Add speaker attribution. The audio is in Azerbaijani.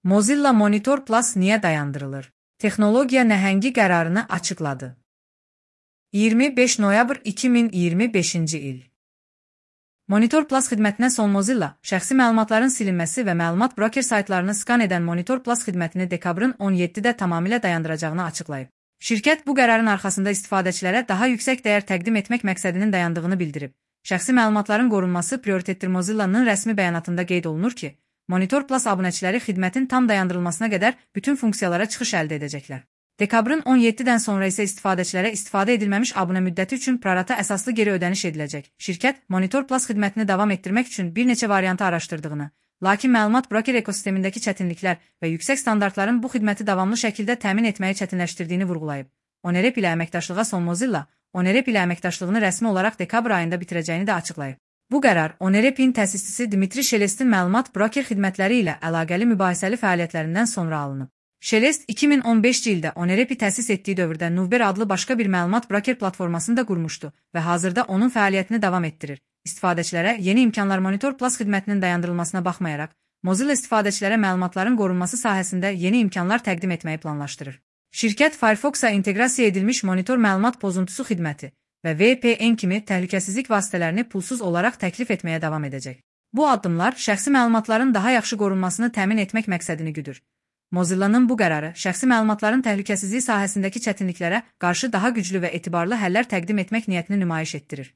Speaker 1: Mozilla Monitor Plus niyə dayandırılır? Texnologiya nəhəngi qərarını açıqladı. 25 noyabr 2025-ci il. Monitor Plus xidmətinə son Mozilla, şəxsi məlumatların silinməsi və məlumat broker saytlarını skan edən Monitor Plus xidmətini dekabrın 17-də tamamilə dayandıracağını açıqlayıb. Şirkət bu qərarın arxasında istifadəçilərə daha yüksək dəyər təqdim etmək məqsədinin dayandığını bildirib. Şəxsi məlumatların qorunması prioritetdir. Mozilla'nın rəsmi bəyanatında qeyd olunur ki, Monitor Plus abunəçiləri xidmətin tam dayandırılmasına qədər bütün funksiyalara çıxış əldə edəcəklər. Dekabrın 17-dən sonra isə istifadəçilərə istifadə edilməmiş abunə müddəti üçün prorata əsaslı geri ödəniş ediləcək. Şirkət, Monitor Plus xidmətini davam etdirmək üçün bir neçə variantı araşdırdığını, lakin məlumat broker ekosistemindəki çətinliklər və yüksək standartların bu xidməti davamlı şəkildə təmin etməyi çətinləşdirdiyini vurğulayıb. ONEREP ilə əməkdaşlığa son Mozilla, ONEREP ilə əməkdaşlığını rəsmi olaraq dekabr ayında bitirəcəyini də açıqlayıb. Bu qərar ONEREP-in təsisçisi Dmitri Shelestin məlumat broker xidmətləri ilə əlaqəli mübahisəli fəaliyyətlərindən sonra alınıb. Shelest 2015-ci ildə ONEREP-i təsis etdiyi dövrdə Nuvber adlı başqa bir məlumat broker platformasını da qurmuşdu və hazırda onun fəaliyyətini davam etdirir. İstifadəçilərə yeni imkanlar. Monitor Plus xidmətinin dayandırılmasına baxmayaraq, Mozilla istifadəçilərə məlumatların qorunması sahəsində yeni imkanlar təqdim etməyi planlaşdırır. Şirkət Firefox-a inteqrasiya edilmiş monitor məlumat pozuntusu xidməti və VPN kimi təhlükəsizlik vasitələrini pulsuz olaraq təklif etməyə davam edəcək. Bu addımlar şəxsi məlumatların daha yaxşı qorunmasını təmin etmək məqsədini güdür. Mozilla'nın bu qərarı şəxsi məlumatların təhlükəsizliyi sahəsindəki çətinliklərə qarşı daha güclü və etibarlı həllər təqdim etmək niyyətini nümayiş etdirir.